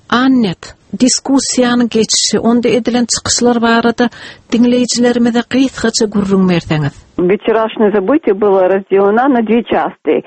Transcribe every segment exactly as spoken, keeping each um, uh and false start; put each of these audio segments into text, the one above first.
Annet, diskussiýanyň geçişi, onda edilen çykyşlar barada diňleýjilerimize gysgaça gürrüň berseňiz. Вчерашнее событие было разделено на две части.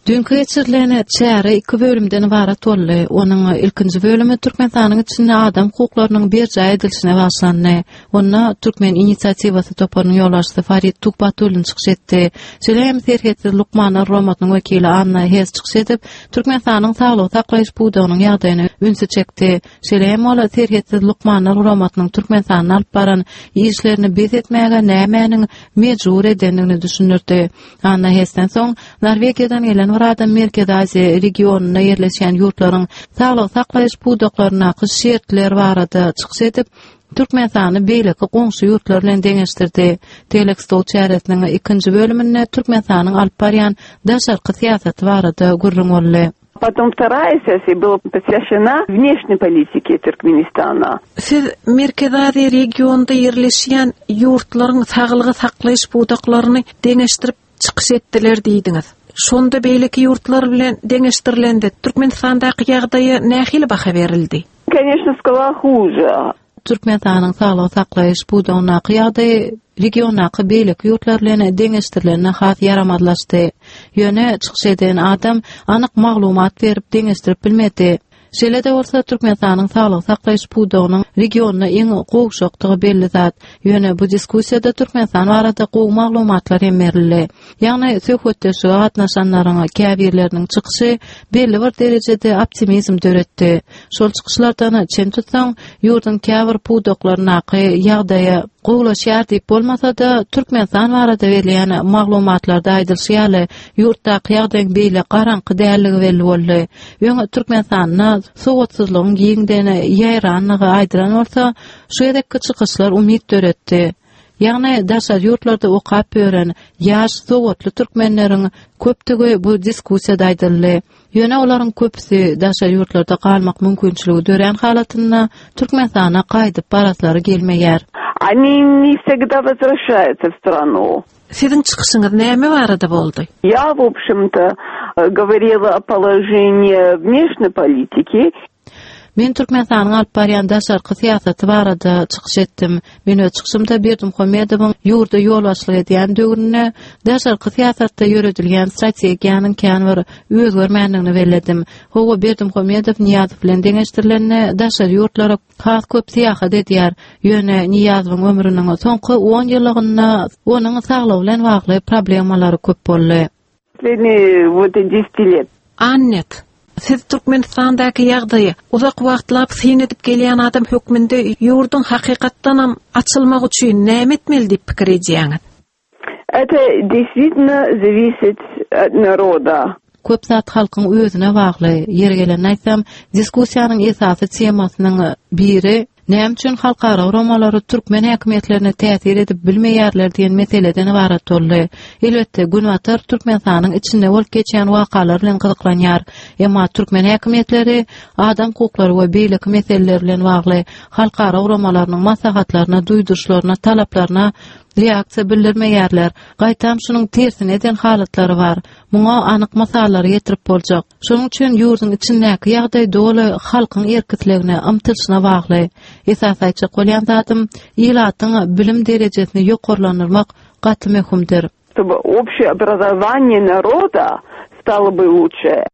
Düýnki geçirilen çäre iki bölümden ybarat boldy. Onuň ilkinji bölümi Türkmenistanyň içinde adam hukuklarynyň berjaý edilişine bagyşlandy. Onda Türkmen inisiatiwasy toparynyň ýolbaşçysy Farid Tuhbatullin çykyş etdi. Şeýle hem Serhetsiz lukmanlar guramasynyň wekili Anna Hes çykyş edip, Türkmenistanyň saglygy saklaýyş pudagynyň ýagdaýyna ünsi çekdi. Şeýle hem ol Serhetsiz lukmanlar guramasynyň Türkmenistanda alyp baran işlerini bes etmäge nämäniň mejbur edendigini düşündirdi. Anna Hesden soň Norwegiýadan gelen bir adam Merkezi Aziýa regionynda ýerleşýän ýurtlaryň saglygy saklaýyş pudaklaryndaky şertler barada çykyş edip, Türkmenistany beýleki goňşy ýurtlar bilen deňeşdirdi. Tegelek stol çäresiniň ikinji bölüminde Türkmenistanyň alyp barýan daşarky syýasaty barada gürrüň boldy. Потом вторая сессия была посвящена внешней политике Туркменистана. Siz Merkezi Aziýa regionynda ýerleşýän ýurtlaryň saglygy saklaýyş pudaklaryny deňeşdirip çykyş etdiler diýdiňiz. Şonda beýleki ýurtlar bilen deňeşdirilende Türkmenistandaky ýagdaýa nähili baha berildi? Конечно, сказала хуже. Türkmenistanyň saglygy saklaýyş pudagyndaky ýagdaýy regiondaky beýleki ýurtlar bilen deňeşdirilende has ýaramazlaşdy. Ýöne çykyş eden adam anyk maglumat berip deňeşdirip bilmedi. Şeýle-de bolsa Türkmenistanyň saglygy saklaýyş pudagynyň regionda iň gowşakdygy belli zat. Ýöne bu diskussiýada Türkmenistan barada gowy maglumatlar hem berildi. Ýagny söhbetdeşlige gatnaşanlaryň käbirleriniň çykyşy belli bir derejede optimizm döretdi. Şol çykyşlardan çen tutsaň, ýurduň käbir pudaklaryndaky ýagdaýa gowulaşýar diýip bolmasa-da, Türkmenistan barada berilýän maglumatlarda aýdylyşy ýaly, ýurtdaky ýagdaýyň beýle garaňky dälligi belli boldy. Öň Türkmenistanda sowatsyzlygyň giňden ýaýranlygy aýdylan bolsa, şu gezekki çykyşlar umyt döretdi. Ýagny daşary ýurtlarda okap ýören ýaş sowatly türkmenleriň köpdügi bu diskussiýada aýdyldy. Ýöne olaryň köpüsi daşary ýurtlarda galmak mümkinçiligi dörän halatynda Türkmenistana gaýdyp baraslary gelmeýär. Они не всегда возвращаются в страну. Siziň çykyşyňyz näme barada boldy? Я, в общем-то, э, говорила о положении внешней политики. Men Türkmenistanyň alyp barýan daşarky syýasaty barada çykyş etdim. Men öz çykyşymda Berdimuhamedowyň ýurda ýolbaşçylyk edýän döwründe daşarky syýasatda ýöredilýän strategiýanyň kän bir özgermändigini belledim. Hawa Berdimuhamedow Nyýazow bilen deňeşdirilende daşary ýurtlara has köp syýahat edýär. Ýöne Nyýazowyň ömrüniň soňky on ýyllygynda onuň saglygy bilen bagly problemalary köp boldy. Последние вот десять лет. Annet, siz Türkmenistandaky ýagdaýy uzak wagtlap syn edip gelýän adam hökmünde ýurduň hakykatdanam açylmagy üçin näme etmeli diýip pikir edýäňiz? Это действительно зависит от народа. Köp zat halkyň özüne bagly. Ýeri gelende aýtsam, diskussiýanyň esasy temasynyň biri näme üçin halkara guramalary türkmen häkimiýetlerine täsir edip bilmeýärler diýen meseleden ybarat boldy. Elbetde, Günbatar Türkmenistanyň içinde bolup geçýän wakalar bilen gyzyklanýar. Emma türkmen häkimiýetleri adam hukuklary we beýleki meseleler bilen bagly halkara guramalarynyň maslahatlaryna, duýduryşlaryna, talaplaryna reaksiýa bildirmeýärler. Gaýtam şunuň tersine eden halatlary bar. Muňa anyk mysallary getirip boljak. Şonuň üçin ýurduň içindäki ýagdaý doly halkyň erkisligine, ymtylyşyna bagly. Esas aýtjak bolýan zadym, ilatyň bilim derejesini ýokarlandyrmak gaty möhümdir. Чтобы общее образование народа стало бы лучше.